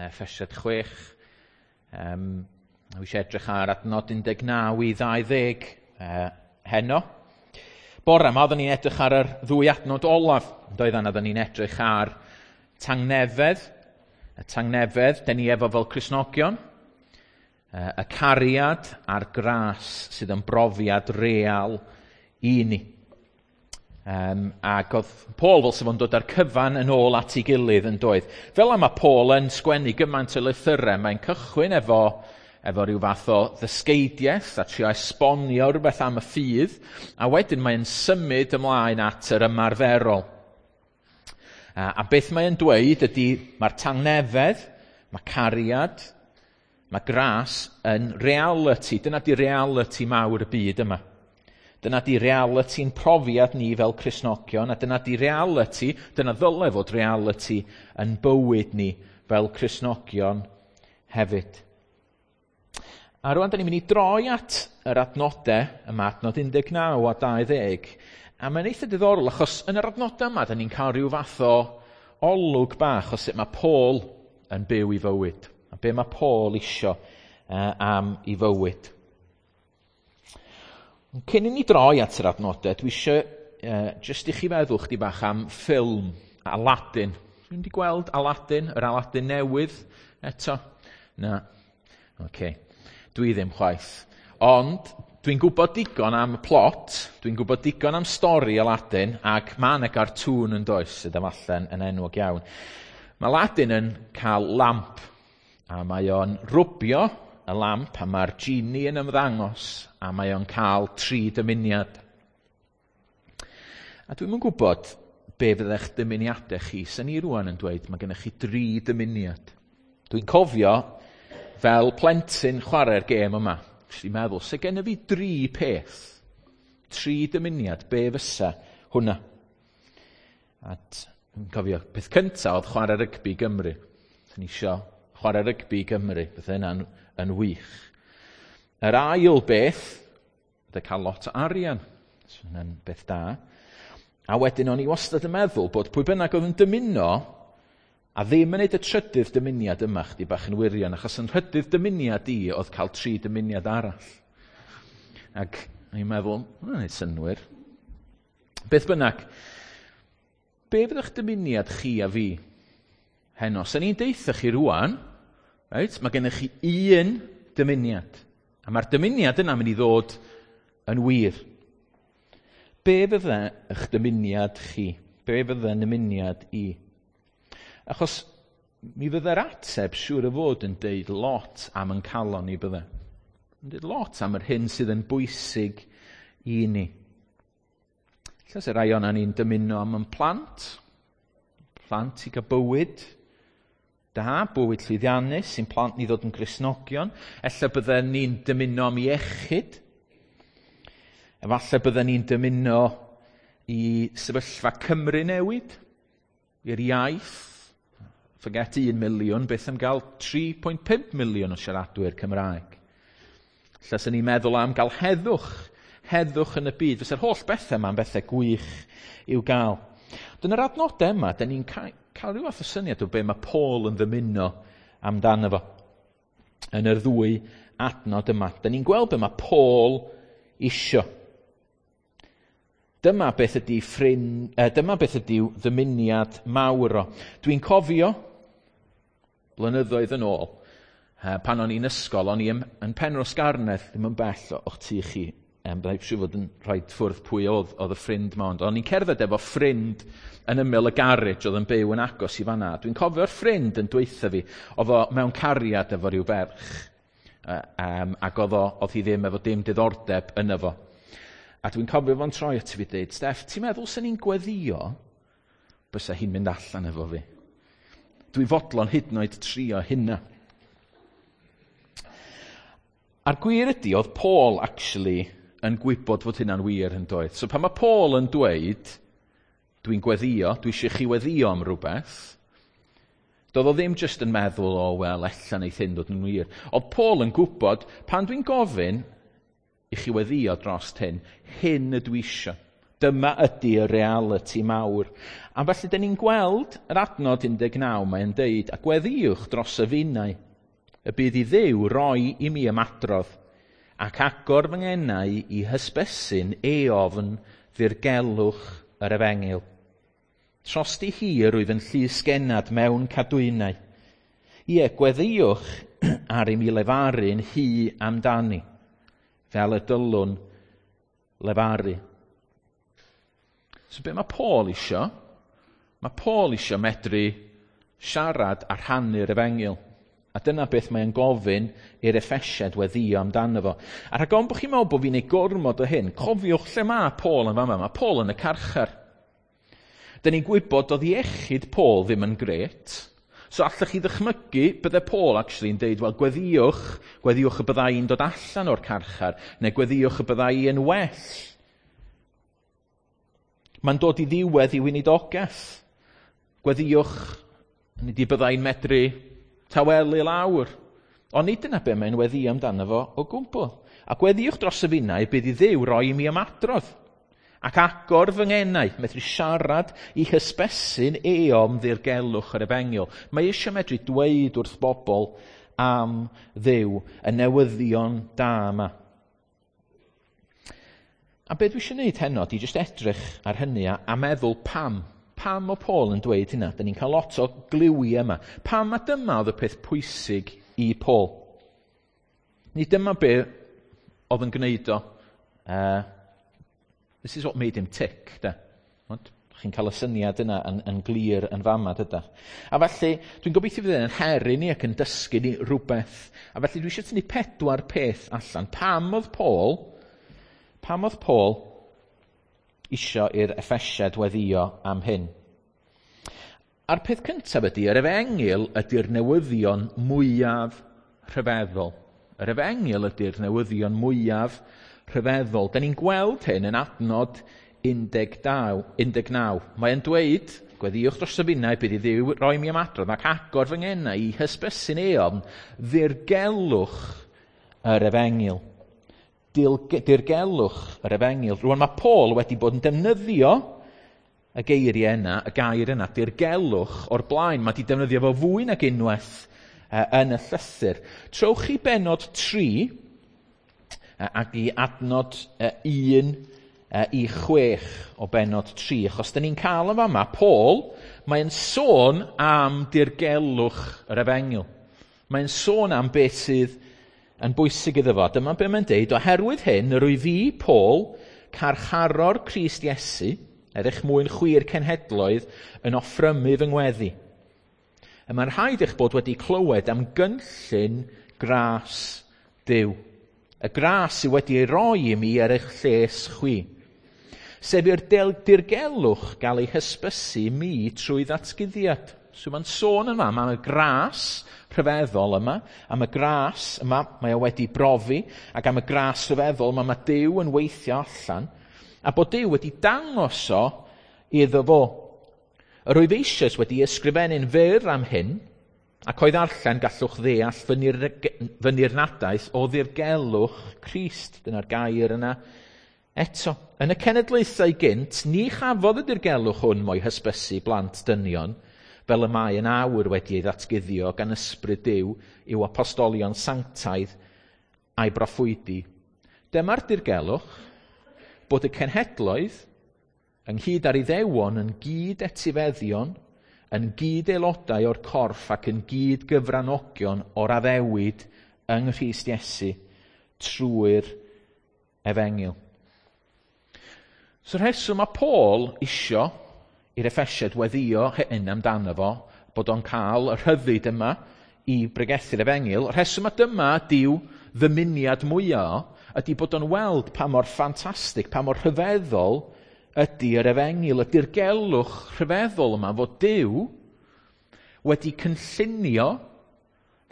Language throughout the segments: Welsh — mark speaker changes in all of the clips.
Speaker 1: Effesiad 6. Dwi eisiau edrych ar adnod 19 i 20 heno. Bore yma, oeddwn ni'n edrych ar yr ddwy adnod olaf. Doeddan, oeddwn ni'n edrych ar tangnefedd, y tangnefedd, den ni efo fel Cristnogion, y cariad a'r gras sydd yn brofiad real i ni. Ac oedd Paul fel sef o'n dod â'r cyfan yn ôl at ei gilydd yn doedd. Fel yma Paul yn sgwennu gymaint o lythyrau, mae'n cychwyn efo rhyw fath o ddysgeidiaeth a trio esbonio rhywbeth am y ffydd, a wedyn mae'n symud ymlaen at yr ymarferol. A beth mae'n dweud ydy mae'r tangnefedd, mae cariad, mae gras yn reality. Dyna di reality mawr y byd yma. Dyna di reality'n profiad ni fel Cristnogion, a dyna di reality, dyna ddyle fod reality yn bywyd ni fel Cristnogion hefyd. A rwan, da ni'n mynd i droi at yr adnodau yma, adnod 19 a 20, a mae'n eitha diddorol achos yn yr adnodau yma, da ni'n cael rhyw fath o olwg bach o sut mae Paul yn byw i fywyd, a be mae Paul isio am i fywyd. Cyn i ni droi at yr adnodau, dwi eisiau jyst i chi feddwl chdi bach am ffilm Aladdin. Dwi'n wedi gweld Aladdin, yr Aladdin newydd eto? Na. Oce. Dwi ddim chwaith. Ond dwi'n gwybod digon am y plot, dwi'n gwybod digon am stori Aladdin, ac mae yna gartŵn yn does sydd efallai yn enwog iawn. Mae Aladdin yn cael lamp, a mae o'n rwbio y lamp, a mae'r genie yn ymddangos, a mae o'n cael 3 dymuniad. A dwi'm yn gwybod be fyddech dymuniadau chi. Sen ni rwan yn dweud mae gennych chi 3 dymuniad. Dwi'n cofio fel plentyn chwarae'r gêm yma. Nes i meddwl, se gennych fi 3 peth, 3 dymuniad, be fysa hwnna? A dwi'n cofio, peth cyntaf oedd chwarae rygbi Gymru. Sen i isio chwarae rygbi Gymru, beth yna'n yn wych. Yr ail beth, oedd cael lot o arian. So, hwnna'n beth da. A wedyn o'n i wastad yn meddwl bod pwy bynnag oedd yn dymuno a ddim yn neud y trydydd dymuniad yma, chdi bach yn wirion, achos yn rhydydd dymuniad i oedd cael 3 dymuniad arall. Ac o'n i'n meddwl, hwnna'n neud synnwyr. Beth bynnag, be fydd eich dymuniad chi a fi heno? Sen ni'n deutha chi rwan, reit, mae gennych chi un dymuniad. A mae'r dymuniad yna'n mynd i ddod yn wir. Be fydde eich dymuniad chi? Be fydde nymuniad i? Achos mi fydde'r ateb siŵr o fod yn deud lot am yn calon ni bydde. Yn deud lot am yr hyn sydd yn bwysig i ni. Ella se rai o'na ni'n dymuno am yn plant. Plant i gael bywyd da, bywyd llwyddiannus, sy'n plant ni ddod yn Gristnogion. Ella bydden ni'n dymuno am iechyd. Efallai bydden ni'n dymuno i sefyllfa Cymru newid, i'r iaith. Forget 1 miliwn, beth am gael 3.5 miliwn o siaradwyr Cymraeg. Ella sy'n ni'n meddwl am gael heddwch, heddwch yn y byd. Fysa'r holl bethau yma'n bethau gwych i'w gael. Dyna'r adnodau yma, da ni'n cael rhyw fath o syniad o be mae Paul yn ddymuno amdano fo. Yn yr ddwy adnod yma, da ni'n gweld be mae Paul isio. Dyma beth ydy dyma beth ydy ddymuniad mawr o. Dwi'n cofio blynyddoedd yn ôl, pan o'n i'n ysgol, o'n i yn Penrhos Garnedd, ddim yn bell o'ch tŷ chi. Byddai siŵr fod yn rhoi ffwrdd pwy oedd y ffrind ma, ond o'n i'n cerdded efo ffrind yn ymyl y garej oedd yn byw yn agos i fan'na. Dwi'n cofio'r ffrind yn dweutha fi, oedd o mewn cariad efo rhyw ferch, ac oedd hi ddim efo dim diddordeb yno fo. A dwi'n cofio fo'n troi at fi dweud, Steff, ti'n meddwl sy'n ni'n gweddio bysa hi'n mynd allan efo fi? Dwi fodlon hyd yn oed trio hynna. A'r gwir ydy, oedd Paul actually yn gwybod fod hynna'n wir yn doedd. So pan mae Paul yn dweud, dwi'n gweddio, dwi eisiau chi weddio am rhywbeth, doedd o ddim jyst yn meddwl, o, wel, ella neith hyn dod yn wir. Oedd Paul yn gwybod, pan dwi'n gofyn i chi weddio dros hyn, hyn ydw i eisiau. Dyma ydy y reality mawr. A felly, dyn ni'n gweld yr adnod 19, mae'n deud, a gweddïwch dros y finnau, y bydd i Dduw roi i mi ymadrodd, ac agor fy ngenau i hysbysu'n eofn ddirgelwch yr efengyl. Trosti hi rwyf yn llysgennad mewn cadwynau. Ie, gweddïwch ar i mi lefaru'n hi amdani, fel y dylwn lefaru. So be mae Paul isio? Mae Paul isio medru siarad a rhannu'r efengyl. A dyna beth mae'n gofyn i'r Effesiad weddio amdano fo. A rhag ofn bod chi'n meddwl bod fi'n ei gormod o hyn, cofiwch lle mae Paul yn fama. Mae Paul yn y carchar. Dyn ni'n gwybod oedd iechyd Paul ddim yn gret. So allech chi ddychmygu bydde Paul actually yn deud, wel, gweddiwch, gweddiwch y byddai i'n dod allan o'r carchar, neu gweddiwch y byddai i'n well. Mae'n dod i ddiwedd i weinidogaeth. Gweddiwch, nid i byddai'n medru tawelu lawr. Ond nid dyna be mae'n weddio amdano fo o gwbl. A gweddiwch dros y finnau bydd i Dduw roi i mi ymadrodd. Ac agor fy ngenau, medru siarad i hysbesu'n eom ddirgelwch yr efengyl. Mae eisiau medru dweud wrth bobl am Dduw, y newyddion da yma. A be dwi eisiau gwneud heno, di jyst edrych ar hynny a, a meddwl pam. Pam o Paul yn dweud hynna? Da ni'n cael lot o gliwiau yma. Pam a dyma oedd y peth pwysig i Paul? Nid dyma be oedd yn gwneud o. This is what made him tick, de. Ond, chi'n cael y syniad yna yn, yn glir yn fama, dydach. A felly, dwi'n gobeithio fydd yn her i ni ac yn dysgu ni rhywbeth. A felly, dwi eisiau tynnu pedwar peth allan. Pam oedd Paul, pam oedd Paul isio i'r Effesiad weddio am hyn? A'r peth cyntaf ydy, yr efengyl ydy'r newyddion mwyaf rhyfeddol. Yr efengyl ydy'r newyddion mwyaf rhyfeddol. Da ni'n gweld hyn yn adnod 19. 19. Mae'n dweud, gweddiwch dros y finnau, bydd i Dduw roi mi ymadrodd ac agor fy ngenau i hysbysu'n eofn ddirgelwch yr efengyl. Dirgelwch yr efengyl. Rwan mae Paul wedi bod yn defnyddio y geiriau yna, y gair yna, dirgelwch o'r blaen. Mae wedi defnyddio fo fwy nag unwaith yn y llythyr. Trowch chi benod 3 ac i adnod 1 i 6 o benod 3, achos dyn ni'n cael yn fama, Paul, mae'n sôn am dirgelwch yr efengyl. Mae'n sôn am beth sydd yn bwysig iddo fo. Dyma be mae'n deud, oherwydd hyn, yr wyf fi, Paul, carcharor Crist Iesu, er eich mwyn chwir cenhedloedd, yn offrymu fy ngweddi. Y mae'n rhaid eich bod wedi clywed am gynllun gras Duw. Y gras sydd wedi ei roi i mi er eich lles chwi. Sef i'r dirgelwch gael ei hysbysu mi trwy ddatguddiad. So mae'n sôn yma am y gras rhyfeddol yma, am y gras yma mae o wedi brofi, ac am y gras rhyfeddol yma mae Duw yn weithio allan, a bod Duw wedi dangos o iddo fo. Yr wyf eisoes wedi ysgrifennu'n fyr am hyn, ac o'i ddarllen gallwch ddeall fy nirnadaeth o ddirgelwch Crist. Dyna'r gair yna eto. Yn y cenedlaethau gynt, ni chafodd y dirgelwch hwn mo'i hysbysu blant dynion, fel y mae yn awr wedi ei ddatguddio gan ysbryd Duw i'w apostolion sanctaidd a'i broffwydi. Dyma'r dirgelwch bod y cenhedloedd ynghyd â'r Iddewon yn gyd etifeddion, yn gyd aelodau o'r corff ac yn gyd gyfranogion o'r addewid yng Nghrist Iesu trwy'r efengyl. So rheswm mae Paul isio i'r Effesiad weddio hyn amdano fo, bod o'n cael y rhyddid yma i bregethu'r efengyl, rheswm mae dyma diw ddymuniad mwyaf ydy bod o'n weld pa mor ffantastig, pa mor rhyfeddol ydy yr efengyl, y dirgelwch rhyfeddol yma fod Duw wedi cynllunio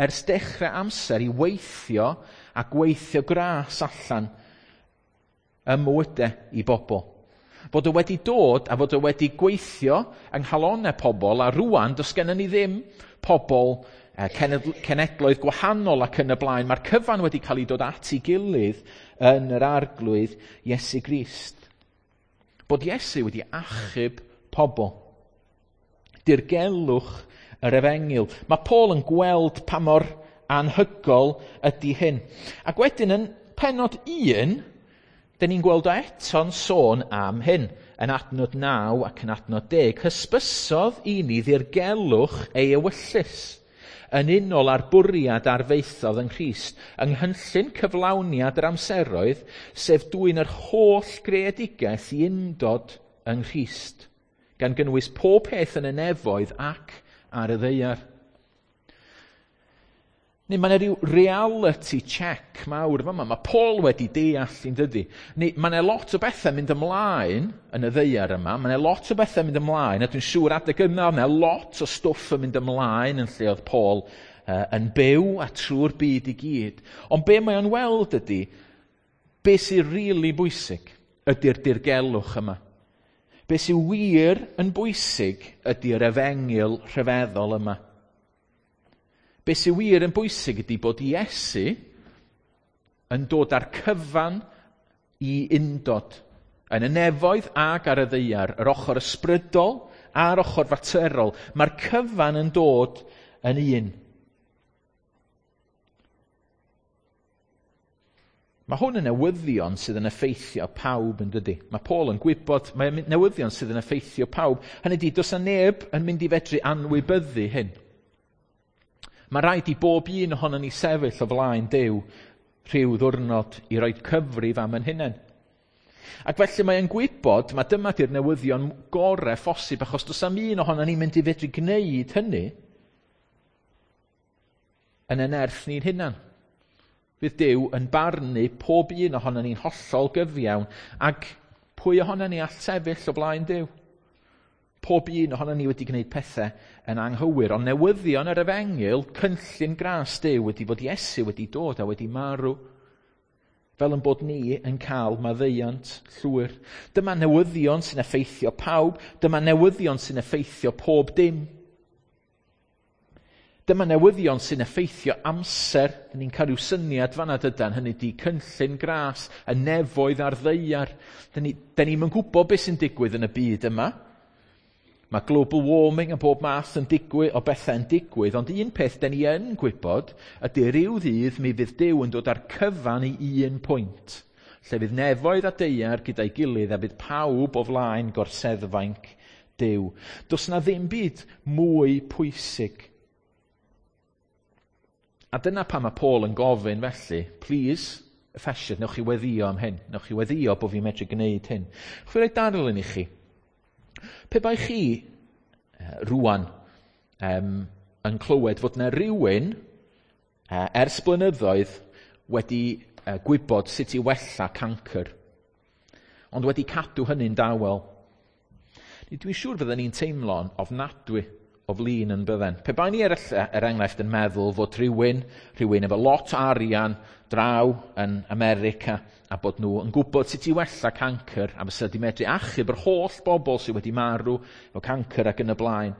Speaker 1: ers dechrau amser i weithio a gweithio gras allan ym mywydau i bobl. Fod o wedi dod a fod o wedi gweithio yng nghalonau pobl, a rwan does gennym ni ddim pobl cenedloedd gwahanol ac yn y blaen. Mae'r cyfan wedi cael ei dod at ei gilydd yn yr arglwydd Iesu Grist. Bod Iesu wedi achub pobl. Dirgelwch yr efengyl. Mae Paul yn gweld pa mor anhygol ydy hyn. Ac wedyn yn pennod 1, dyn ni'n gweld o eto'n sôn am hyn. Yn adnod 9 ac yn adnod 10, hysbysodd i ni ddirgelwch ei ewyllys yn unol â'r bwriad arfaethodd yng Nghrist, yng nghynllun cyflawniad yr amseroedd, sef dwyn yr holl greadigaeth i undod yng Nghrist, gan gynnwys pob peth yn y nefoedd ac ar y ddaear. Neu mae yna rhyw reality check mawr fama. Mae Paul wedi deall yn dydy. Neu mae yna lot o bethau mynd ymlaen yn y ddaear yma. Mae yna lot o bethau mynd ymlaen, a dwi'n siŵr adeg yma, mae yna lot o stwff yn mynd ymlaen yn lle oedd Paul yn byw a trwy'r byd i gyd. Ond be mae o'n weld ydy, be sy'n rili really bwysig ydy'r dirgelwch yma. Be sy'n wir yn bwysig ydy'r efengyl rhyfeddol yma. Be sy'n wir yn bwysig ydy bod Iesu yn dod â'r cyfan i undod yn y nefoedd ac ar y ddaear, yr ochr ysbrydol a'r ochr faterol. Mae'r cyfan yn dod yn un. Mae hwn yn newyddion sydd yn effeithio pawb yn dydy. Mae Paul yn gwybod, mae newyddion sydd yn effeithio pawb. Hynny ydy, does 'na neb yn mynd i fedru anwybyddu hyn. Mae rhaid i bob un ohonon ni sefyll o flaen Duw rhyw ddwrnod i roi cyfrif am yn hunain. Ac felly mae'n gwybod, mae dyma di'r newyddion gorau phosib, achos does am un ohonon ni'n mynd i fedru gwneud hynny yn y nerth ni'n hunan. Fydd Duw yn barnu pob un ohonon ni'n hollol gyfiawn, ac pwy ohonon ni all sefyll o flaen Duw? Pob un ohonon ni wedi gwneud pethau yn anghywir, ond newyddion yr efengyl, cynllun gras Duw wedi bod Iesu wedi dod a wedi marw, fel yn bod ni yn cael maddeuant llwyr. Dyma newyddion sy'n effeithio pawb, dyma newyddion sy'n effeithio pob dim. Dyma newyddion sy'n effeithio amser. Dyn ni'n cael rhyw syniad fan'na dydan, hynny di cynllun gras, y nefoedd a'r ddaear. Dyn ni'm yn gwybod beth sy'n digwydd yn y byd yma. Mae global warming a bob math yn digwydd, o bethau yn digwydd, ond un peth dyn ni yn gwybod ydy rhyw ddydd mi fydd Duw yn dod â'r cyfan i un pwynt, lle fydd nefoedd a daear gyda'i gilydd a fydd pawb o flaen gorseddfainc Duw. Does na ddim byd mwy pwysig. A dyna pam mae Paul yn gofyn felly, please, Effesiaid, newch chi weddio am hyn, newch chi weddio bod fi'n medru gwneud hyn. Chwi roi darlun i chi. Pe bai chi rwan yn clywed fod yna rhywun ers blynyddoedd wedi gwybod sut i wella cancr, ond wedi cadw hynny'n dawel. Dwi'n siŵr fydden ni'n teimlo'n ofnadwy o flin yn bydden. Pe bai ni er enghraifft yn meddwl fod rhywun efo lot o arian draw yn America a bod nhw yn gwybod sut i wella cancr a fysa di medru achub yr holl bobl sydd wedi marw efo cancr ac yn y blaen,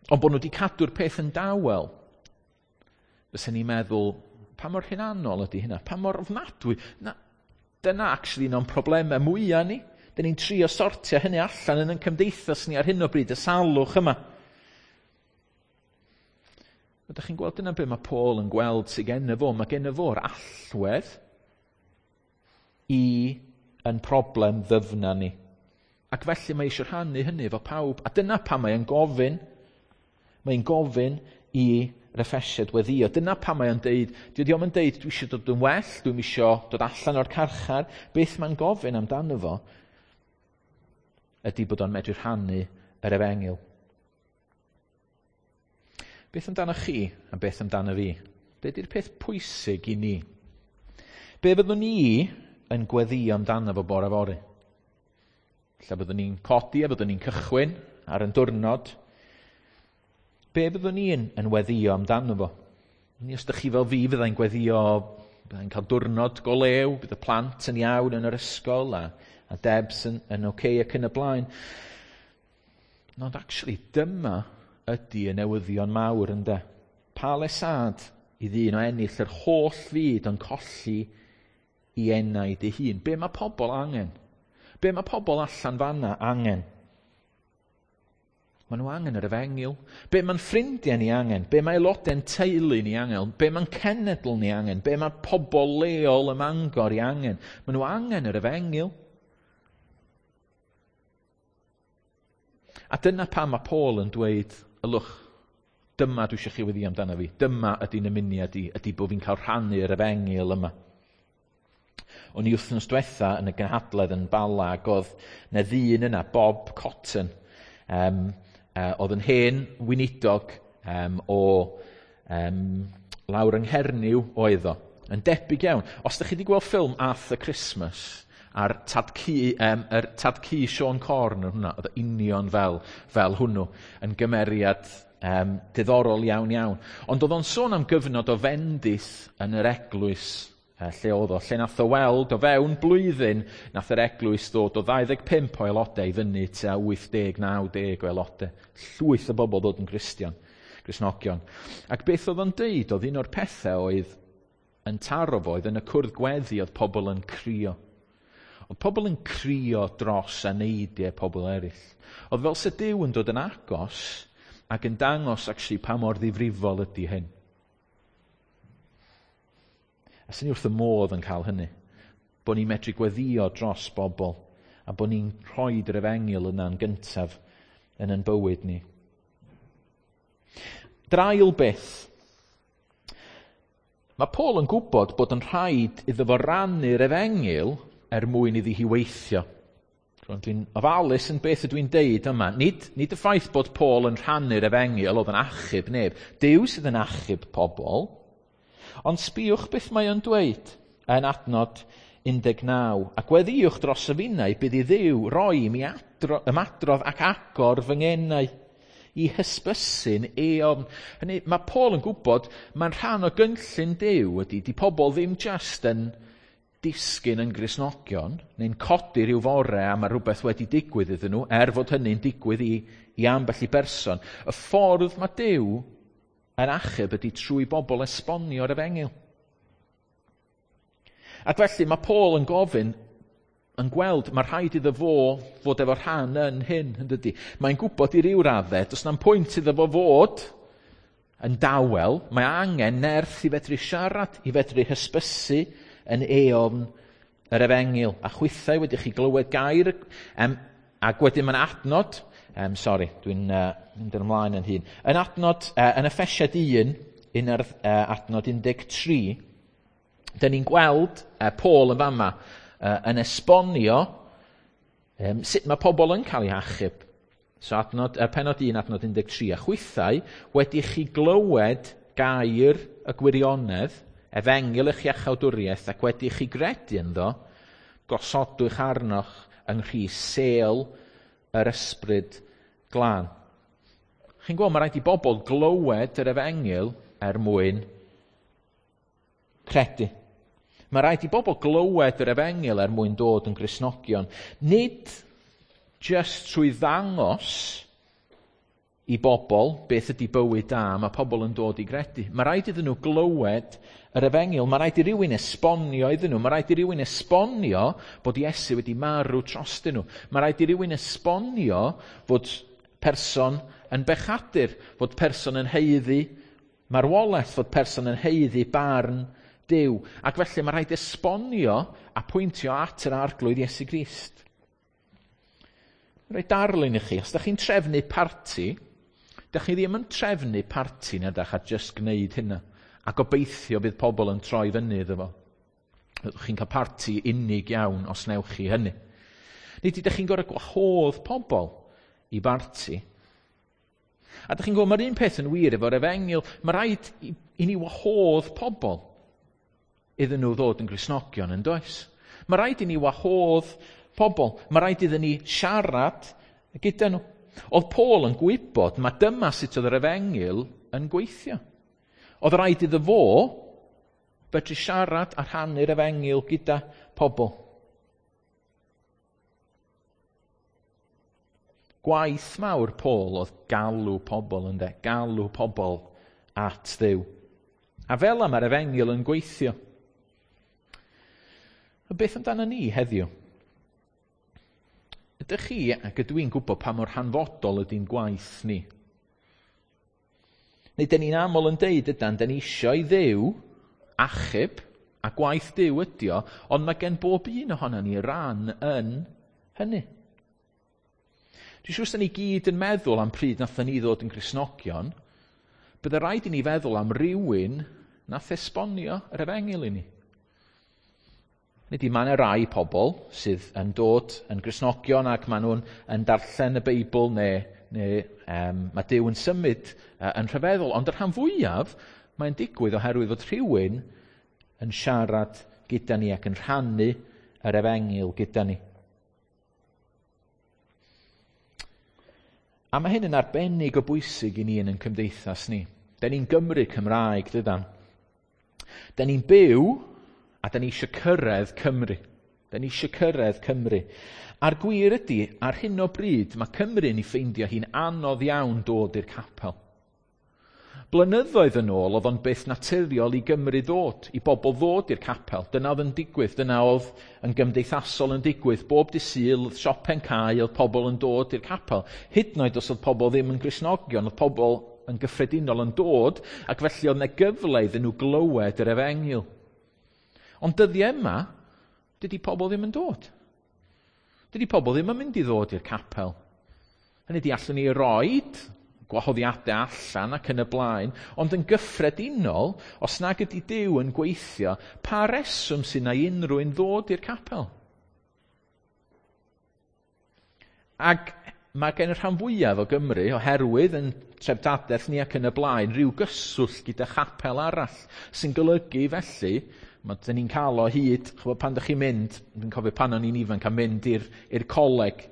Speaker 1: ond bod nhw wedi cadw'r peth yn dawel, fysa ni'n meddwl, pa mor hunanol ydy hynna? Pa mor ofnadwy? Na, dyna actually un o'n problemau mwyaf ni. Dyn ni'n trio sortio hynny allan yn ein cymdeithas ni ar hyn o bryd, y salwch yma. Ydych chi'n gweld dyna be mae Paul yn gweld sydd genno fo? Mae genno fo'r allwedd i yn problem ddyfna ni. Ac felly mae eisiau rhannu hynny efo pawb. A dyna pam mae'n gofyn. Mae'n gofyn i Effesiaid weddio. Dyna pam mae'n deud, dydy o'm yn deud, dwi eisiau dod yn well, dwi'm eisiau dod allan o'r carchar. Beth mae'n gofyn amdano fo ydy bod o'n medru rhannu yr efengyl. Beth amdano chi a beth amdano fi? Be di'r peth pwysig i ni? Be fyddwn ni yn gweddio amdano fo bore fory? Lle byddwn ni'n codi a byddwn ni'n cychwyn ar yn diwrnod. Be fyddwn ni'n yn weddio amdano fo? Ni, os ydych chi fel fi, fyddai'n gweddio, byddai'n cael diwrnod go lew, bydd y plant yn iawn yn yr ysgol a Debs yn oce ac yn y blaen. Ond actually, dyma ydy y newyddion mawr ynde. Pa lesad i ddyn o ennill yr holl fyd yn colli i enaid ei hun? Be mae pobl angen? Be mae pobl allan fanna angen? Maen nhw angen yr efengyl. Be mae'n ffrindiau ni angen? Be mae aelodau'n teulu ni angen? Be mae'n cenedl ni angen? Be mae pobl leol ym Mangor i angen? Maen nhw angen yr efengyl. A dyna pam mae Paul yn dweud, ylwch, dyma dwi eisiau chi weddi amdano fi. Dyma ydy'n ymuniad i, ydy bod fi'n cael rhannu yr efengyl yma. O'n i wythnos diwetha yn y gynhadledd yn Bala ac oedd na ddyn yna, Bob Cotton, oedd yn hen weinidog o lawr yng Nghernyw oedd o. Yn debyg iawn. Os ydych chi wedi gweld ffilm Arthur Christmas, a'r tad-cu, yr tad-cu Siôn Corn yn hwnna, oedd o union fel hwnnw, yn gymeriad diddorol iawn iawn. Ond oedd o'n sôn am gyfnod o fendith yn yr eglwys lle oedd o, lle nath o weld o fewn blwyddyn, nath yr eglwys ddod o 25 o aelodau i fyny tua 80-90 o aelodau. Llwyth o bobl ddod yn Gristion, Gristnogion. Ac beth oedd o'n deud, oedd un o'r pethau oedd yn taro fo, oedd yn y cwrdd gweddi oedd pobl yn crio. Oedd pobl yn crio dros aneidiau pobl eraill. Oedd fel se Duw yn dod yn agos ac yn dangos actually pa mor ddifrifol ydy hyn. A sy'n ni wrth y modd yn cael hynny. Bod ni'n medru gweddio dros bobl a bod ni'n rhoi yr efengyl yna'n gyntaf yn ein bywyd ni. Drail beth. Mae Paul yn gwybod bod yn rhaid iddo fo rannu'r efengyl er mwyn iddi hi weithio. Dwi'n ofalus yn beth ydw i'n deud yma. Nid y ffaith bod Paul yn rhannu'r efengyl oedd yn achub neb. Duw sydd yn achub pobl. Ond sbïwch beth mae o'n dweud yn adnod 19. A gweddïwch dros y finnau bydd i Dduw roi i mi ymadrodd ac agor fy ngenau i hysbysu'n eofn. Hynny, mae Paul yn gwybod mae'n rhan o gynllun Duw ydy, di pobl ddim just yn disgyn yn Gristnogion, neu'n codi rhyw fore a mae rhywbeth wedi digwydd iddyn nhw, er fod hynny'n digwydd i ambell i berson. Y ffordd mae Duw yn achub ydy trwy bobl esbonio'r efengyl. Ac felly mae Paul yn gofyn, yn gweld, mae rhaid iddo fo fod efo rhan yn hyn, yn dydy. Mae'n gwybod i ryw raddau, does na'm pwynt iddo fo fod yn dawel, mae angen nerth i fedru siarad, i fedru hysbysu yn eofn yr efengyl. A chwithau wedi chi glywed gair, ac wedyn mae'n adnod, sori, dwi'n mynd ymlaen yn hun. Yn adnod, yn Effesiaid 1, un ar adnod 13, dyn ni'n gweld Paul yn fama yn esbonio sut mae pobl yn cael eu hachub. So adnod, penod 1, adnod 13, a chwithau wedi chi glywed gair y gwirionedd, efengyl eich iachawdwriaeth, ac wedi chi gredu ynddo, gosodwch arnoch yng Nghrist sêl yr ysbryd glân. Chi'n gweld, mae rhaid i bobl glywed yr efengyl er mwyn credu. Mae rhaid i bobl glywed yr efengyl er mwyn dod yn Gristnogion. Nid just trwy ddangos i bobl beth ydy bywyd da, mae pobl yn dod i gredu. Mae rhaid iddyn nhw glywed yr efengyl, mae rhaid i rywun esbonio iddyn nhw, mae rhaid i rywun esbonio bod Iesu wedi marw trostyn nhw. Mae rhaid i rywun esbonio fod person yn bechadur, fod person yn haeddu marwolaeth, fod person yn haeddu barn Duw. Ac felly mae rhaid esbonio a pwyntio at yr Arglwydd Iesu Grist. Rhoi darlun i chi, os ydych chi'n trefnu parti, dych chi ddim yn trefnu parti na dach a just gwneud hynna. A gobeithio bydd pobl yn troi fyny iddo fo. Chi'n cael parti unig iawn os newch chi hynny. Nid ydych chi'n gorfod gwahodd pobl i barti. A dych chi'n gwybod, mae'r un peth yn wir efo'r efengyl. Mae rhaid i ni wahodd pobl iddyn nhw ddod yn Gristnogion, yn does? Mae rhaid i ni wahodd pobl. Mae rhaid iddyn ni siarad gyda nhw. Oedd Paul yn gwybod mae dyma sut oedd yr efengyl yn gweithio. Oedd rhaid iddo fo fedru siarad a rhannu'r efengyl gyda pobl. Gwaith mawr Paul oedd galw pobl, ynde? Galw pobl at Dduw. A fel yma mae'r efengyl yn gweithio. A beth amdano ni heddiw? Ydych chi, ac ydw i'n gwybod pa mor hanfodol ydy'n gwaith ni? Neu dyn ni'n aml yn deud ydan, dyn ni isio i Dduw achub, a gwaith Duw ydi o, ond mae gen bob un ohono ni ran yn hynny. Dwi'n siŵr sy'n ni gyd yn meddwl am pryd nathon ni ddod yn Gristnogion, bydde rhaid i ni feddwl am rywun nath esbonio yr efengyl i ni. Nid i mae yna rai pobl sydd yn dod yn Gristnogion ac maen nhw'n yn darllen y Beibl neu mae Duw yn symud yn rhyfeddol, ond y rhan fwyaf mae'n digwydd oherwydd fod rhywun yn siarad gyda ni ac yn rhannu yr efengyl gyda ni. A mae hyn yn arbennig o bwysig i ni yn ein cymdeithas ni. Da ni'n Gymru Cymraeg, dydan. Da ni'n byw a da ni eisiau cyrraedd Cymru. Da ni eisiau cyrraedd Cymru. A'r gwir ydy, ar hyn o bryd, mae Cymru yn ei ffeindio hi'n anodd iawn dod i'r capel. Blynyddoedd yn ôl, oedd o'n beth naturiol i Gymru ddod, i bobl ddod i'r capel. Dyna oedd yn digwydd, dyna oedd yn gymdeithasol yn digwydd. Bob dydd Sul, oedd siope'n cau, oedd pobl yn dod i'r capel. Hyd yn oed os oedd pobl ddim yn Gristnogion, oedd pobl yn gyffredinol yn dod, ac felly oedd yna gyfle iddyn nhw glywed yr efengyl. Ond dyddiau yma, dydy pobl ddim yn dod. Dydy pobl ddim yn mynd i ddod i'r capel. Hynny ydi, allwn ni roid gwahoddiadau allan ac yn y blaen, ond yn gyffredinol, os nag ydy Duw yn gweithio, pa reswm sy'n na unrhyw un ddod i'r capel? Ac mae gen y rhan fwyaf o Gymru, oherwydd yn treftadaeth ni ac yn y blaen, rhyw gyswllt gyda chapel arall, sy'n golygu felly, mae dyn ni'n cael o hyd, ch'bod, pan dych chi'n mynd, dwi'n cofio pan o'n i'n ifanc a mynd i'r coleg,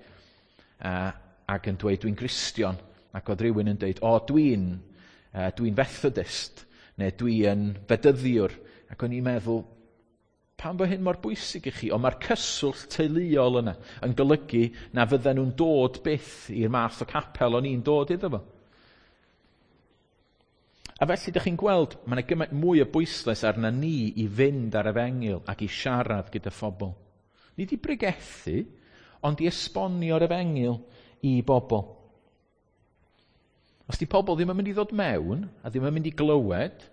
Speaker 1: ac yn dweud dwi'n Gristion, ac oedd rhywun yn dweud, o, dwi'n Methodist, neu dwi'n Fedyddiwr, ac o'n i'n meddwl, pam bod hyn mor bwysig i chi? Ond mae'r cyswllt teuluol yna yn golygu na fydden nhw'n dod byth i'r math o capel o'n i'n dod iddo fo. A felly, dych chi'n gweld, mae yna gymaint mwy o bwyslais arna ni i fynd ar efengyl ac i siarad gyda phobl. Nid i bregethu, ond i esbonio'r efengyl i bobl. Os di pobl ddim yn mynd i ddod mewn a ddim yn mynd i glywed,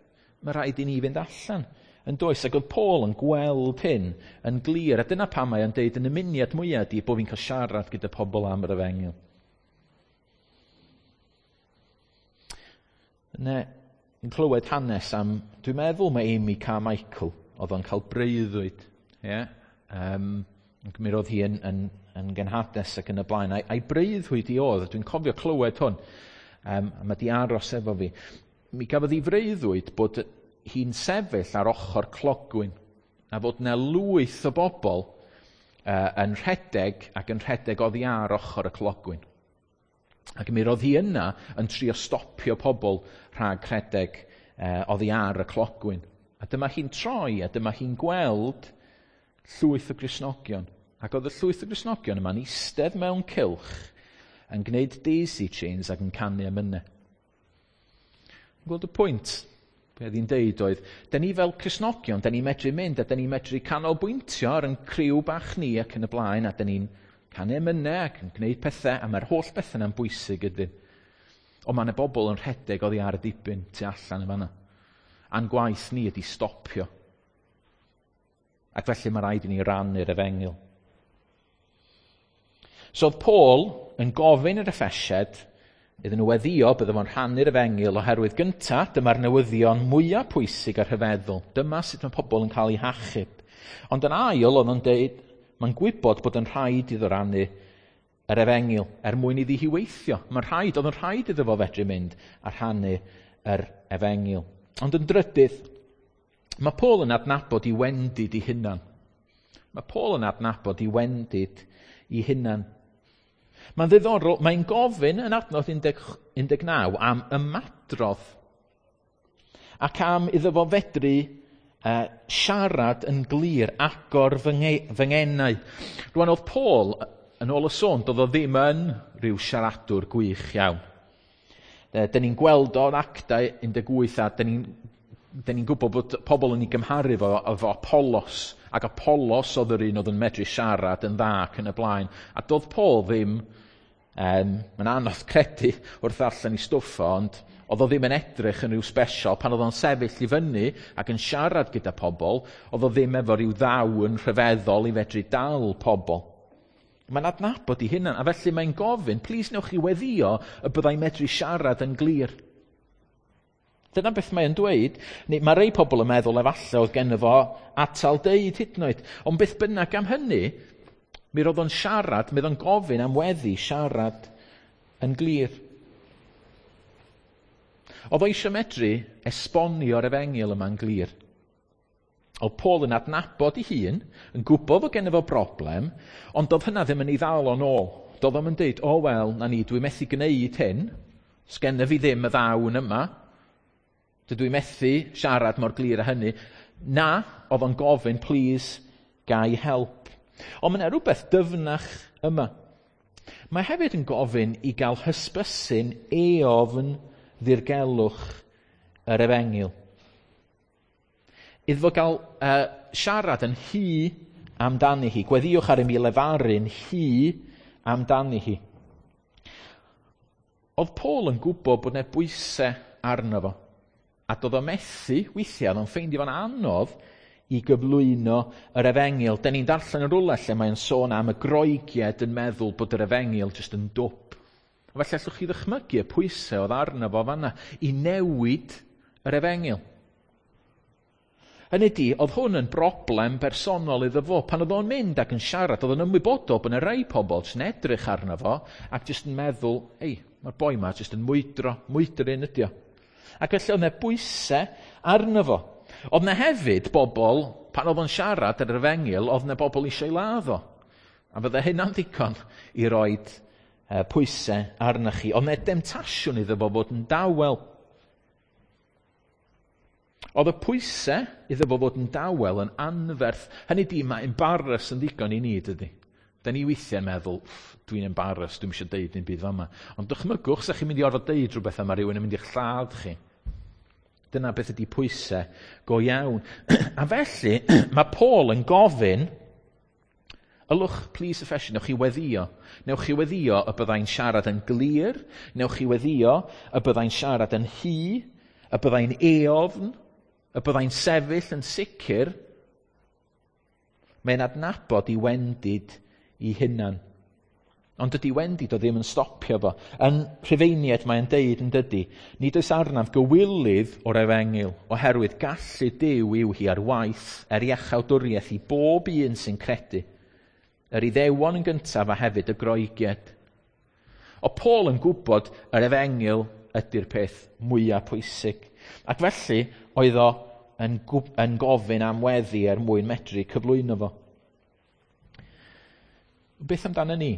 Speaker 1: mae rhaid i ni fynd allan. Yn does, ac oedd Paul yn gweld hyn yn glir, a dyna pam mae o'n deud yn ymuniad mwyaf ydi bod fi'n cael siarad gyda pobl am yr efengyl. Ne, yn clywed hanes am, dwi'n meddwl mae Amy Carmichael, oedd o'n cael breuddwyd. Ie? Mi roedd hi yn genhades ac yn y blaen. A'i breuddwyd i oedd, dwi'n cofio clywed hwn, a mae di aros efo fi. Mi gafodd hi freuddwyd bod hi'n sefyll ar ochr clogwyn, a fod yna lwyth o bobl yn rhedeg ac yn rhedeg oddi ar ochr y clogwyn. Ac mi roedd hi yna yn trio stopio pobl rhag rhedeg oddi ar y clogwyn. A dyma hi'n troi, a dyma hi'n gweld llwyth o Gristnogion. Ac oedd y llwyth o Gristnogion yma'n eistedd mewn cylch yn gwneud daisy chains ac yn canu emynau. Yn gweld y pwynt? Be oedd hi'n deud oedd, da ni fel Cristnogion, da ni'n medru mynd a da ni'n medru canolbwyntio ar ein criw bach ni ac yn y blaen, a da ni'n canu emynau ac yn gwneud pethau, a mae'r holl bethau yna'n bwysig ydyn. Ond mae yna bobl yn rhedeg oddi ar y dibyn tu allan yn fan'na. A'n gwaith ni ydi stopio. Ac felly mae rhaid i ni rannu'r efengyl. So oedd Paul yn gofyn i'r Effesiaid iddyn nhw weddio bydde fo'n rhannu'r efengyl oherwydd gynta, dyma'r newyddion mwyaf pwysig a rhyfeddol. Dyma sut mae pobl yn cael eu hachub. Ond yn ail, oedd o'n deud, mae'n gwybod bod yn rhaid iddo rannu yr efengyl er mwyn iddi hi weithio. Oedd yn rhaid iddo fo fedru mynd a rhannu yr efengyl. Ond yn drydydd, mae Paul yn adnabod i wendid i hunan. Mae Paul yn adnabod i wendid i hunan. Mae'n ddiddorol, mae'n gofyn yn adnod 19 am ymadrodd ac am iddo fo fedru siarad yn glir, agor fy ngenau. Rwan oedd Paul, yn ôl y sôn, doedd o ddim yn rhyw siaradwr gwych iawn. Dyn ni'n gweld o'n Actau 18 a dyn ni'n gwybod bod pobl yn ei gymharu fo efo Apollos Ac Apollos oedd yr un oedd yn medru siarad yn dda ac yn y blaen. A doedd Paul ddim, mae'n anodd credu wrth ddarllen ei stwff o, ond oedd o ddim yn edrych yn rhyw special. Pan oedd o'n sefyll i fyny ac yn siarad gyda pobl, oedd o ddim efo rhyw ddawn rhyfeddol i fedru dal pobl. Mae'n adnabod ei hunan, a felly mae'n gofyn, plis newch chi weddio y byddai medru siarad yn glir. Dyna beth mae'n dweud. Neu, mae rei pobl yn meddwl efallai oedd genno fo atal deud hyd yn oed. Ond beth bynnag am hynny, mi roedd o'n siarad, mi oedd o'n gofyn am weddi siarad yn glir. Oedd o eisiau medru esbonio'r efengyl yma'n glir. Oedd Paul yn adnabod ei hun, yn gwybod fod genno fo broblem, ond doedd hynna ddim yn ei ddal o'n ôl. Doedd o'm yn deud, o wel, na ni, dwi methu gwneud hyn, sgenna fi ddim y ddawn yma, dydw i methu siarad mor glir â hynny. Na, oedd o'n gofyn, please, gai help. Ond mae yna rhywbeth dyfnach yma. Mae hefyd yn gofyn i gael hysbysu'n eofn ddirgelwch yr efengyl. Iddo fo gael siarad yn hy amdani hi. Gweddïwch ar i mi lefaru'n hy amdani hi. Oedd Paul yn gwybod bod yna bwysau arno fo. A doedd o methu, weithiau, oedd o'n ffeindio fo'n anodd i gyflwyno yr efengyl. Da ni'n darllen yn rhywle lle mae'n sôn am y Groegiaid yn meddwl bod yr efengyl jyst yn dwp. Felly allwch chi ddychmygu y pwysau oedd arno fo fanna i newid yr efengyl. Hynny ydi, oedd hwn yn broblem bersonol iddo fo. Pan oedd o'n mynd ac yn siarad, oedd o'n ymwybodol bod yna rai pobl jyst yn edrych arno fo ac jyst yn meddwl, ei, mae'r boi ma jyst yn mwydro, mwydryn ydi o. Ac felly oedd yna bwysau arno fo. Oedd yna hefyd bobl, pan oedd o'n siarad ar yr efengyl, oedd yna bobl eisiau ei ladd o. A fydde hynna'n ddigon i roed pwysau arnoch chi. Oedd yna demtasiwn iddo fo fod yn dawel. Oedd y pwysau iddo fo fod yn dawel yn anferth. Hynny di, mae embarrass yn ddigon i ni, dydy. Da ni weithiau'n meddwl, dwi'n embarrassed, dwi'm eisiau deud dim byd fama. Ond dychmygwch, sa chi'n mynd i orfod deud rhywbeth a mae rhywun yn mynd i'ch lladd chi. Dyna beth ydy pwysau go iawn. A felly, mae Paul yn gofyn, ylwch, please Ephesians, newch chi weddio. Newch chi weddio y byddai'n siarad yn glir, newch chi weddio y byddai'n siarad yn hy, y byddai'n eofn, y byddai'n sefyll yn sicr. Mae'n adnabod i wendid i hunan. Ond dydy wendid o ddim yn stopio fo. Yn Rhufeiniaid mae'n deud yn dydy, nid oes arnaf gywilydd o'r efengyl, oherwydd gallu Duw yw hi ar waith er iachawdwriaeth i bob un sy'n credu. Yr Iddewon yn gyntaf a hefyd y Groegiaid. O Paul yn gwybod yr efengyl ydy'r peth mwyaf pwysig. Ac felly oedd o yn gofyn am weddi er mwyn medru cyflwyno fo. Beth amdano ni?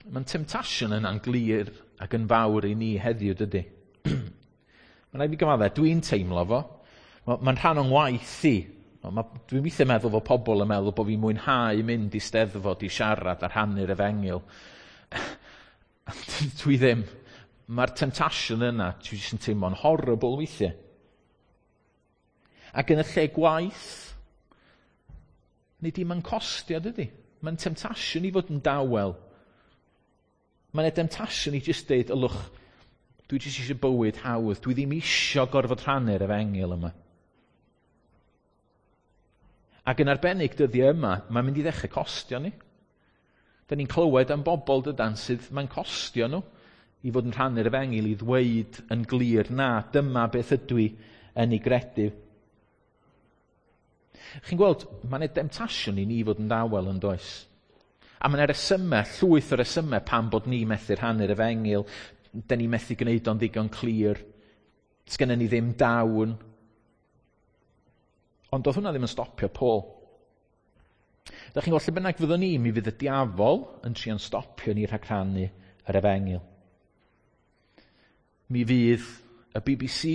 Speaker 1: Mae'n temptasiwn yna'n glir ac yn fawr i ni heddiw, dydy? Mae'n rhaid i fi gyfaddau, dwi'n teimlo fo. Mae'n rhan o'n ngwaith i. Dwi'n weithiau meddwl fod pobl yn meddwl bod fi'n mwynhau mynd i steddfod i siarad a rhannu'r efengyl. Dwi ddim. Mae'r temptasiwn yna, dwi jyst yn teimlo'n horrible weithiau. Ac yn y lle gwaith, nid dim yn costio, dydy. Mae'n temptasiwn i fod yn dawel. Mae'n temptasiwn i jyst deud, ylwch, dwi jyst eisiau bywyd hawdd, dwi ddim eisiau gorfod rhannu'r efengyl yma. Ac yn arbennig dyddiau yma, mae'n mynd i ddechrau costio ni. Da ni'n clywed am bobl dydan sydd mae'n costio nhw i fod yn rhannu'r efengyl, i ddweud yn glir, na, dyma beth ydw i yn ei gredu. Chi'n gweld, mae'n e demtasiwn i ni fod yn dawel yn does. A mae'n resymau, llwyth o resymau pam bod ni methu rhannu'r efengyl, da ni methu gwneud o'n ddigon clir, sgynnon ni ddim dawn. Ond doedd hwnna ddim yn stopio Paul. Da chi'n gweld, lle bynnag fyddwn ni, mi fydd y diafol yn trio'n stopio ni rhag rhannu yr efengyl. Mi fydd y BBC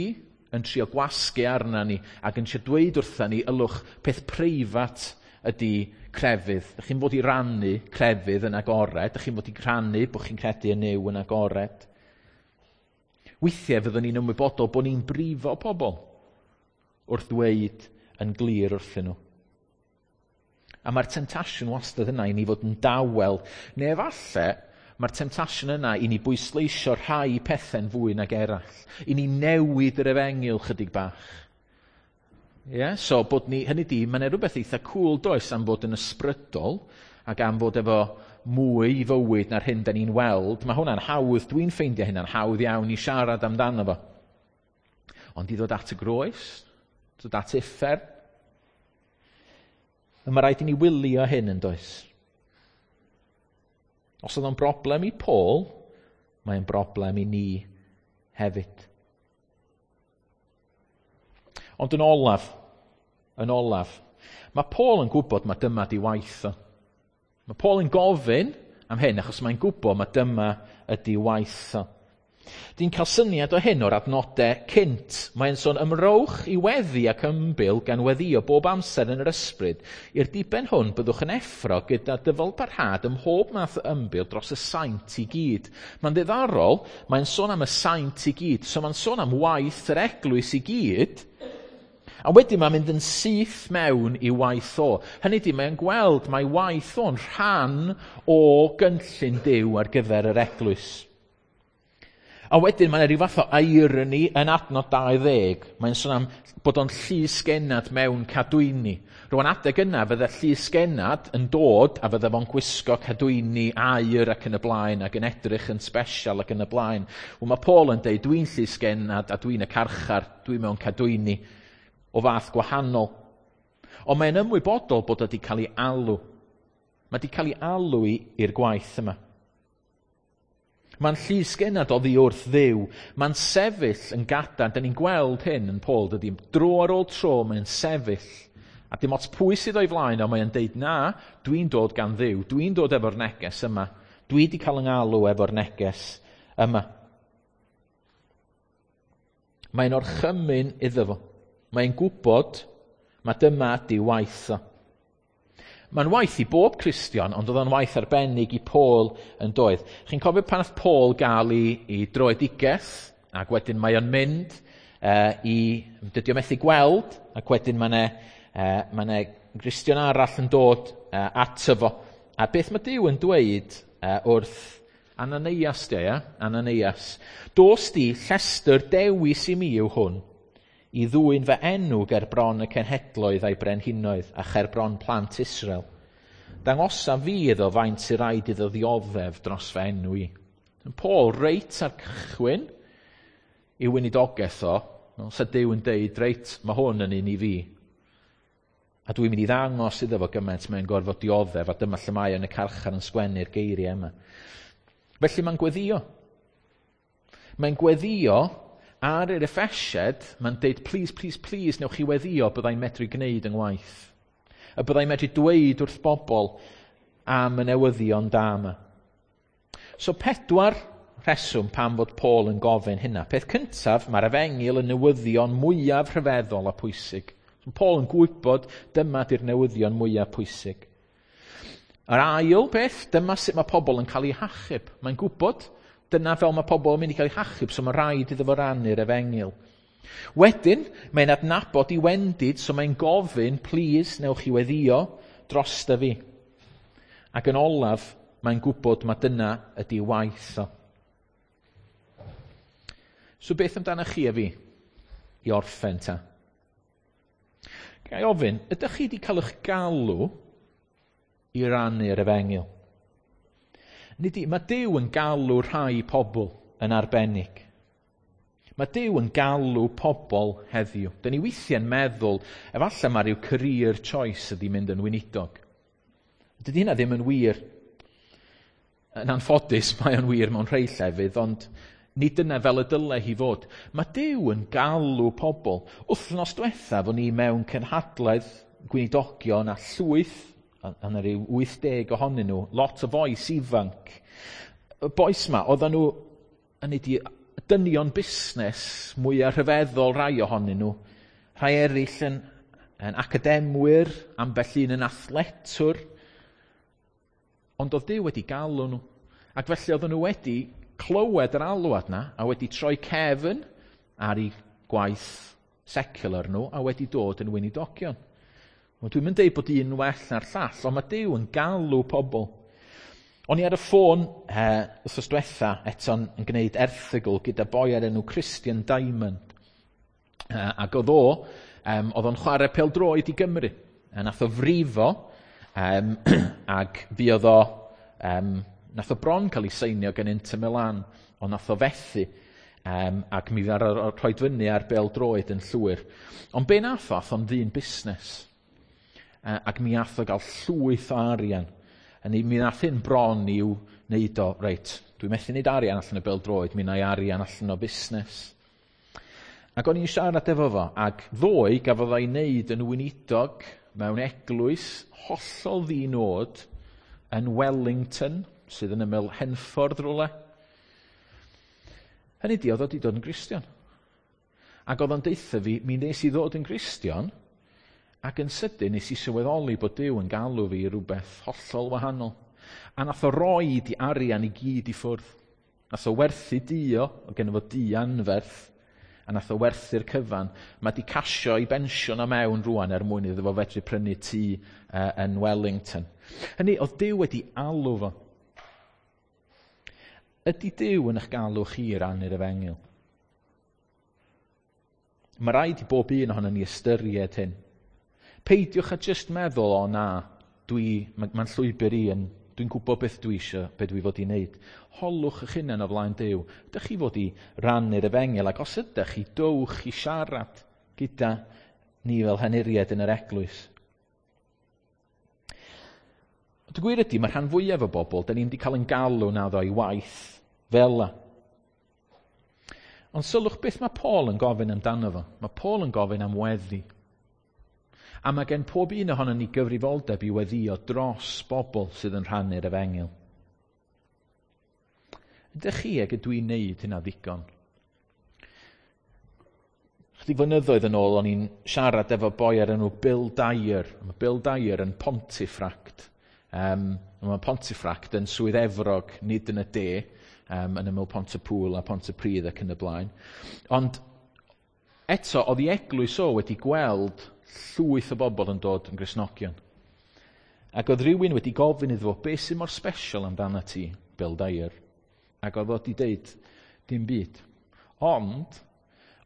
Speaker 1: yn trio gwasgu arna ni ac yn trio dweud wrtha ni, ylwch, peth preifat ydy crefydd. Dych chi'n fod i rannu crefydd yn agored, dych chi'n fod i rhannu bod chi'n credu yn Nuw yn agored. Weithiau fyddwn ni'n ymwybodol bod ni'n brifo pobl wrth ddweud yn glir wrthyn nhw. A mae'r temtasiwn wastad yna i ni fod yn dawel. Neu efallai, mae'r temtasiwn yna i ni bwysleisio rhai pethau'n fwy nag eraill. I ni newid yr efengyl chydig bach. Yeah? So, bod ni, hynny di, mae'n rhywbeth eitha cool does am fod yn ysbrydol ac am fod efo mwy i fywyd na'r hyn da ni'n weld. Mae hwnna'n hawdd, dwi'n ffeindio hynna'n hawdd iawn i siarad amdano fo. Ond i ddod at y groes, dod at uffern, mae rhaid i ni wylio hyn yn does. Os oedd o'n broblem i Paul, mae'n broblem i ni hefyd. Ond yn olaf, mae Paul yn gwybod mae dyma di waith o. Mae Paul yn gofyn am hyn achos mae'n gwybod mae dyma ydi waith o. Di'n cael syniad o hyn o'r adnodau cynt. Mae'n sôn ymrowch i weddi ac ymbil gan weddio bob amser yn yr ysbryd. I'r diben hwn byddwch yn effro gyda dyfalbarhad ym mhob math o ymbil dros y saint i gyd. Mae'n ddiddorol, mae'n sôn am y saint i gyd. So mae'n sôn am waith yr eglwys i gyd. A wedyn mae'n mynd yn syth mewn i waith o. Hynny ydi, mae'n gweld mae waith o'n rhan o gynllun Duw ar gyfer yr eglwys. A wedyn mae'n rhyw fath o irony yn adnod 20. Mae'n sôn am bod o'n llysgennad mewn cadwyni. Rwan adeg yna fydde llysgennad yn dod a fydde fo'n gwisgo cadwyni aur ac yn y blaen ac yn edrych yn special ac yn y blaen. Wel, mae Paul yn deud dwi'n llysgennad a dwi'n y carchar, dwi mewn cadwyni o fath gwahanol. Ond mae'n ymwybodol bod o wedi cael ei alw. Mae wedi cael ei alw i'r gwaith yma. Mae'n llysgennad oddi wrth Dduw. Mae'n sefyll yn gadarn. Da ni'n gweld hyn yn Paul, dydy. Dro ar ôl tro mae'n sefyll. A dim ots pwy sydd o'i flaen o, mae'n deud, na, dwi'n dod gan Dduw. Dwi'n dod efo'r neges yma. Dwi wedi cael yng ngalw efo'r neges yma. Mae'n orchymyn iddo fo. Mae'n gwybod mae dyma ydi waith o. Mae'n waith i bob Cristion, ond oedd o'n waith arbennig i Paul yn doedd. Chi'n cofio pan nath Paul gael ei droedigaeth, ac wedyn mae o'n mynd dydy o methu gweld, ac wedyn mae 'na Gristion arall yn dod ato fo. A beth mae Duw yn dweud wrth Ananias, di, ia? Ananias. Dos di, llestr dewis i mi yw hwn, i ddwyn fy enw ger bron y cenhedloedd a'i brenhinoedd a cher bron plant Israel. Dangosa fi iddo faint sy'n rhaid iddo ddioddef dros fy enw i. Paul reit ar cychwyn i weinidogaeth o, sa Duw yn deud, reit, mae hwn yn un i fi. A dwi'n mynd i ddangos iddo fo gymaint mae'n gorfod dioddef, a dyma lle mae yn y carchar yn sgwennu'r geiriau yma. Felly mae'n gweddio. Mae'n gweddio ar yr Effesiad, mae'n deud, please, please, please, newch chi weddio byddai'n medru gwneud yng ngwaith. Y byddai'n medru dweud wrth bobl am y newyddion da yma. So 4 rheswm pam fod Paul yn gofyn hynna. Peth cyntaf, mae'r efengyl yn newyddion mwyaf rhyfeddol a pwysig. So Paul yn gwybod dyma di'r newyddion mwyaf pwysig. Yr ail beth, dyma sut mae pobl yn cael eu hachub. Mae'n gwybod dyna fel mae pobl yn mynd i cael eu hachub, so mae rhaid iddo fo rannu'r efengyl. Wedyn, mae'n adnabod i wendid, so mae'n gofyn, please, newch chi weddio drosta fi. Ac yn olaf, mae'n gwybod mae dyna ydi waith o. So beth amdano chi a fi i orffen ta? Ga i ofyn, ydych chi wedi cael eich galw i rannu'r efengyl? Mae Duw yn galw rhai pobl yn arbennig. Mae Duw yn galw pobl heddiw. Dyn ni weithiau'n meddwl, efallai mae rhyw career choice ydi mynd yn weinidog. Dydy hynna ddim yn wir. Yn anffodus, mae o'n wir mewn rhai llefydd, ond nid dyna fel y dyle hi fod. Mae Duw yn galw pobl. Wythnos diwethaf, o'n i mewn cynhadledd gweinidogion a llwyth, a 'na ryw 80 ohonyn nhw, lot o fois ifanc. Y bois ma, oedden nhw yn ei dynion busnes mwyaf rhyfeddol rai ohonyn nhw. Rhai eraill yn academwyr, ambell un yn athletwr. Ond oedd Duw wedi galw nhw. Ac felly oedden nhw wedi clywed yr alwad na a wedi troi cefn ar eu gwaith secular nhw a wedi dod yn weinidogion. Wel, dwi'm yn deud bod un well na'r llall, ond mae Duw yn galw pobl. O'n i ar y ffôn wythnos diwetha eto'n yn gwneud erthygl gyda boi ar enw Christian Diamond. Ac oedd o, oedd o'n chwarae pêl-droed i Gymru. A nath o frifo, ac fuodd o, nath o bron cael ei seinio gan Inter Milan, ond nath o fethu. Ac mi ddaru o rhoi fyny ar bêl-droed yn llwyr. Ond be nath o, ath o'n ddyn busnes. Ac mi ath o gael llwyth o arian. A mi nath hyn bron i'w wneud o, reit, dwi'n methu wneud arian allan o bêl-droed, mi wna i arian allan o busnes. Ac o'n i'n siarad efo fo, ac ddoe gafodd o'i wneud yn weinidog mewn eglwys hollol ddi-nod yn Wellington, sydd yn ymyl Henffordd rhywle. Hynny di, oedd o wedi dod yn Gristion. Ac oedd o'n deutha fi, mi nes i ddod yn Gristion, ac yn sydyn nes i sylweddoli bod Duw yn galw fi i rhywbeth hollol wahanol. A nath o roi di arian i gyd i ffwrdd. Nath o werthu dio, o gen fo di anferth, a nath o werthu'r cyfan. Mae di casio i bensiwn o mewn rwan er mwyn iddo fo fedru prynu tŷ yn Wellington. Hynny, oedd Duw wedi alw fo. Ydy Duw yn eich galw chi i rannu'r efengyl? Mae rhaid i bob un ohono ni ystyried hyn. Peidiwch a jyst meddwl, o na, mae'n llwybr i yn, dwi'n gwybod beth dwi eisiau, beth dwi fod i wneud. Holwch eich hunain o flaen Duw. Ydych chi fod i rannu'r efengyl, ac os ydych chi, dowch i siarad gyda ni fel henuriaid yn yr eglwys. Ond y gwir ydy, mae rhan fwyaf o bobl, da ni'n wedi cael yn galw naddo i waith fel la. Ond sylwch beth mae Paul yn gofyn amdano fo. Mae Paul yn gofyn am weddi. A mae gen pob un ohono ni gyfrifoldeb i weddio dros bobl sydd yn rhannu'r efengyl. Ydych chi ag ydw i'n neud hynna ddigon? Chydig flynyddoedd yn ôl, o'n i'n siarad efo boi ar enw Bill Dyer. Mae Bill Dyer yn Pontefract. Mae Pontefract yn Swydd Efrog, nid yn y de, yn ymyl Pontypŵl a Pontypridd ac yn y blaen. Ond eto, oedd ei eglwys o wedi gweld llwyth o bobl yn dod yn Gristnogion. Ac oedd rhywun wedi gofyn iddo fo, beth sy'n mor special amdano ti, Bill Dyer? Ac oedd o wedi deud, dim byd. Ond,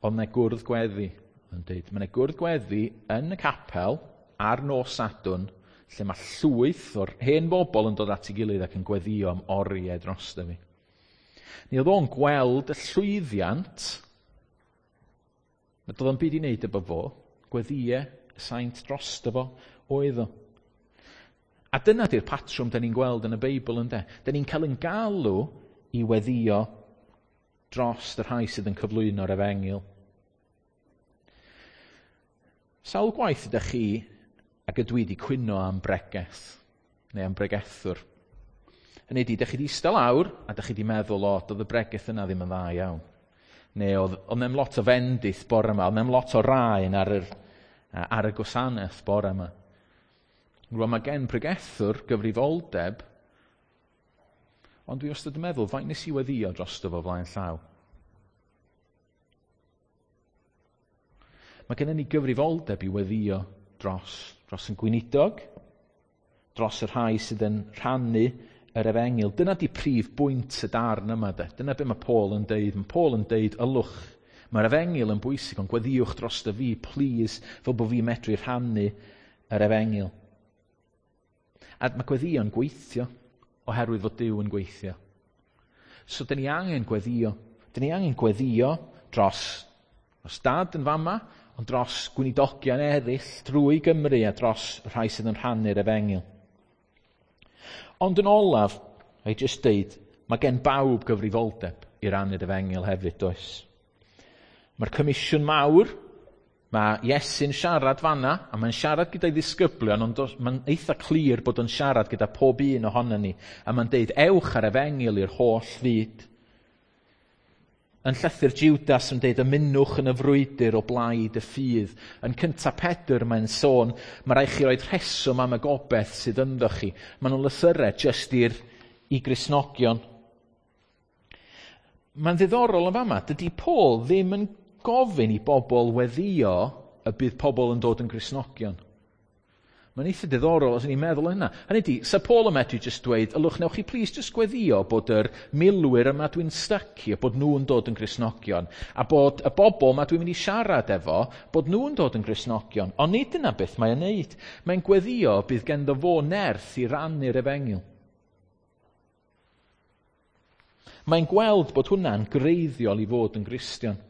Speaker 1: oedd yna gwrdd gweddi. Yn deud, mae yna gwrdd gweddi yn y capel ar nos Sadwrn, lle mae llwyth o'r hen bobl yn dod at ei gilydd ac yn gweddio am oriau drosto fi. Ni oedd o'n gweld y llwyddiant, nad oedd o'n byd i wneud efo fo, gweddiau y saint drosto fo oedd o. A dyna di'r patrwm da ni'n gweld yn y Beibl, ynde? Da ni'n cael yn galw i weddio dros y rhai sydd yn cyflwyno'r efengyl. Sawl gwaith ydych chi ac ydw i wedi cwyno am bregeth, neu am bregethwr? Hynny ydi, ydych chi wedi eistedd lawr a ydych chi wedi meddwl, o, doedd y bregeth yna ddim yn dda iawn. Neu oedd na'm lot o fendith bore yma, oedd na'm lot o raen ar y gwasanaeth bore yma. Rwan mae gen pregethwr gyfrifoldeb, ond dwi wastad yn meddwl, faint nes i weddio drosto fo flaen llaw? Mae gennym ni gyfrifoldeb i weddio dros yn gweinidog, dros y rhai sydd yn rhannu yr efengyl. Dyna di prif bwynt y darn yma, de. Dyna be mae Paul yn deud. Mae Paul yn deud, ylwch, mae'r efengyl yn bwysig, ond gweddiwch drosto fi, please, fel bod fi medru rhannu yr efengyl. A mae gweddïo'n gweithio, oherwydd fod Duw yn gweithio. So, dyn ni angen gweddio. Dyn ni angen gweddio dros dad yn fama, ond dros gweinidogion eraill drwy Gymru a dros rhai sydd yn rhannu'r efengyl. Ond yn olaf, I just deud, mae gen bawb gyfrifoldeb i rannu'r efengyl hefyd, does? Mae'r comisiwn mawr, mae Iesu'n siarad fanna, a mae'n siarad gyda'i ddisgyblion, ond mae'n eitha clir bod o'n siarad gyda pob un ohonon ni, a mae'n deud, ewch ar efengyl i'r holl fyd. Yn llythyr Judas yn deud, ymunwch yn y frwydr o blaid y ffydd. Yn cynta Pedr mae'n sôn, mae rhaid chi roed rheswm am y gobeith sydd ynddo chi. Maen nhw'n lythyrau jyst i Gristnogion. Mae'n ddiddorol yn fama, dydy Paul ddim yn gofyn i bobl weddio y bydd pobl yn dod yn Gristnogion. Mae'n eitha diddorol os ni'n meddwl hynna. Hynny ydi, sa Paul yn medru jyst dweud, ylwch, newch chi plis jyst gweddio bod yr milwyr yma dwi'n stycio, bod nhw'n dod yn Gristnogion, a bod y bobl yma dwi'n mynd i siarad efo, bod nhw'n dod yn Gristnogion. Ond nid dyna beth mae'n neud. Mae'n gweddio bydd genddo fo nerth i rannu'r efengyl. Mae'n gweld bod hwnna'n greiddiol i fod yn Gristion.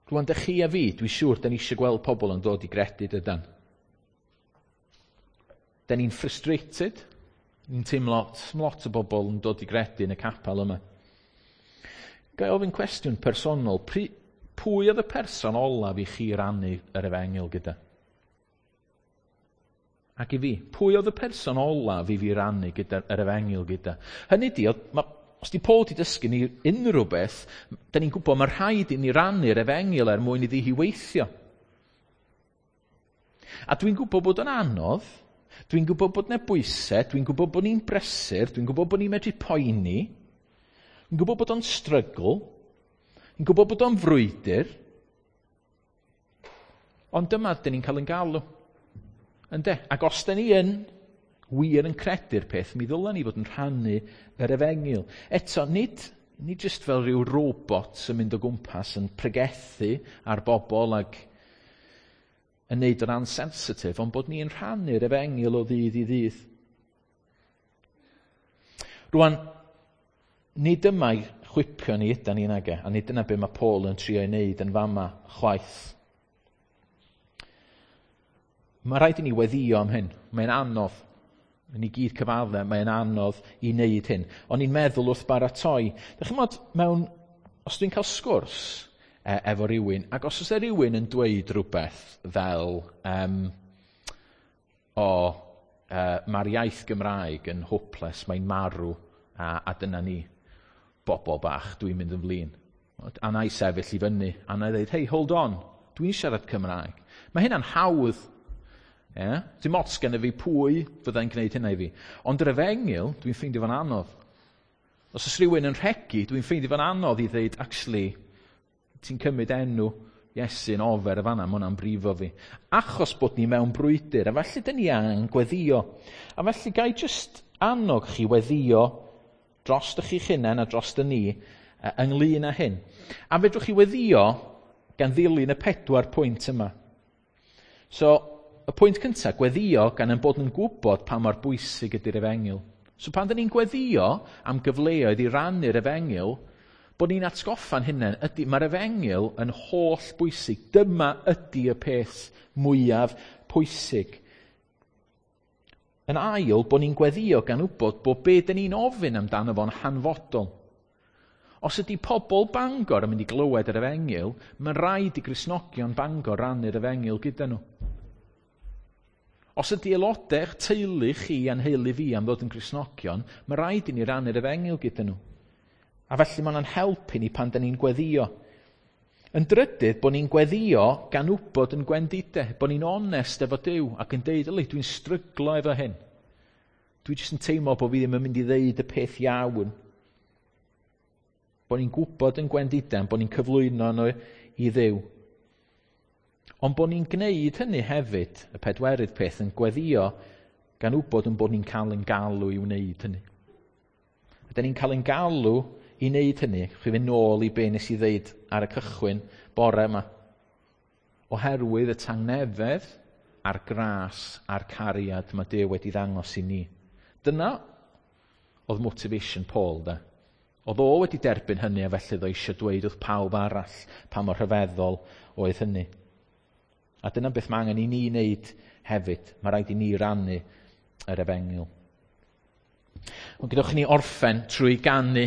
Speaker 1: Rwan, dych chi a fi, dwi'n siŵr, da ni eisiau gweld pobl yn dod i gredu, dydan. Da ni'n frustrated. Ni'n teimlo lot o bobl yn dod i gredu yn y capel yma. Ga i ofyn cwestiwn personol? Pwy oedd y person olaf i chi rannu yr efengyl gyda? Ac i fi, pwy oedd y person olaf i fi rannu gyda, yr efengyl gyda? Hynny di, oedd, ma, os di Paul di dysgu ni unrhyw beth, da ni'n gwybod mae rhaid i ni rannu'r efengyl er mwyn iddi hi weithio. A dwi'n gwybod bod yn anodd, dwi'n gwybod bod yna bwysau, dwi'n gwybod bod ni'n brysur, dwi'n gwybod bod ni'n medru poeni, dwi'n gwybod bod o'n strygl, dwi'n gwybod bod o'n frwydr, ond dyma dyn ni'n cael yn galw. Ynde? Ac os da ni yn wir yn credu'r peth, mi ddylen ni fod yn rhannu yr efengyl. Eto, nid jyst fel rhyw robot sy'n mynd o gwmpas yn pregethu ar bobl ac yn neud o'n ansensitif, ond bod ni'n rhannu'r efengyl o ddydd i ddydd. Rwan, nid yma i chwipio ni ydan ni nage, a nid dyna be mae Paul yn trio ei wneud yn fama chwaith. Mae rhaid i ni weddio am hyn. Mae'n anodd. Yn i gyd cyfadde, mae'n anodd i wneud hyn. O'n i'n meddwl wrth baratoi. Dych chi'n mewn, os dwi'n cael sgwrs efo rhywun, ac os oes e rhywun yn dweud rhywbeth fel, mae'r iaith Gymraeg yn hopeless, mae'n marw, a dyna ni, bobl bach, dwi'n mynd yn flin. A na i sefyll i fyny, a na i ddweud, hey, hold on, dwi'n siarad Cymraeg. Mae hynna'n hawdd. Yeah? Dim ots gen i fi pwy fyddai'n gwneud hynna i fi. Ond yr efengyl, dwi'n ffeindio fo'n anodd. Os oes rhywun yn rhegi, dwi'n ffeindio fo'n anodd i ddweud, actually, ti'n cymryd enw Iesu'n ofer y fanna, mae hwnna'n brifo fi. Achos bod ni mewn brwydr, a felly dyn ni angen gweddio. A felly gai jyst annog chi weddio dros ych chi'ch hunain a dros y ni ynglyn â hyn. A fedrwch chi weddio gan ddilyn y 4 pwynt yma. So, y pwynt cyntaf, gweddio gan ein bod yn gwybod pa mor bwysig ydy'r efengyl. So pan dyn ni'n gweddio am gyfleoedd i rannu'r efengyl, bod ni'n atgoffa'n hunain, ydy, mae'r efengyl yn holl bwysig. Dyma ydy y peth mwyaf pwysig. Yn ail, bod ni'n gweddio gan wybod bod be dyn ni'n ofyn amdano fo'n hanfodol. Os ydy pobl Bangor yn mynd i glywed yr efengyl, mae'n rhaid i Gristnogion Bangor rannu'r efengyl gyda nhw. Os ydy aelodau'ch teulu chi a'n heulu fi am ddod yn Gristnogion, mae rhaid i ni rannu'r efengyl gyda nhw. A felly mae hwnna'n helpu ni pan da ni'n gweddio. Yn drydydd, bod ni'n gweddio gan wybod yn gwendidau, bod ni'n onest efo Duw ac yn deud, yli, dwi'n stryglo efo hyn. Dwi jyst yn teimlo bod fi ddim yn mynd i ddeud y peth iawn. Bod ni'n gwybod yn gwendidau, bod ni'n cyflwyno nhw i Dduw. Ond bod ni'n gwneud hynny hefyd, y pedwerydd peth, yn gweddio gan wybod yn bod ni'n cael ein galw i wneud hynny. Ydyn ni'n cael ein galw i wneud hynny, chi fynd nôl i be nes i ddeud ar y cychwyn bore yma. Oherwydd y tangnefedd a'r gras a'r cariad mae Duw wedi ddangos i ni. Dyna oedd motivation Paul, de. Oedd o wedi derbyn hynny a felly oedd o eisiau dweud wrth pawb arall pa mor rhyfeddol oedd hynny. A dyna beth mae angen i ni wneud hefyd. Mae rhaid i ni rannu yr efengyl. Ond gadewch i ni orffen trwy ganu.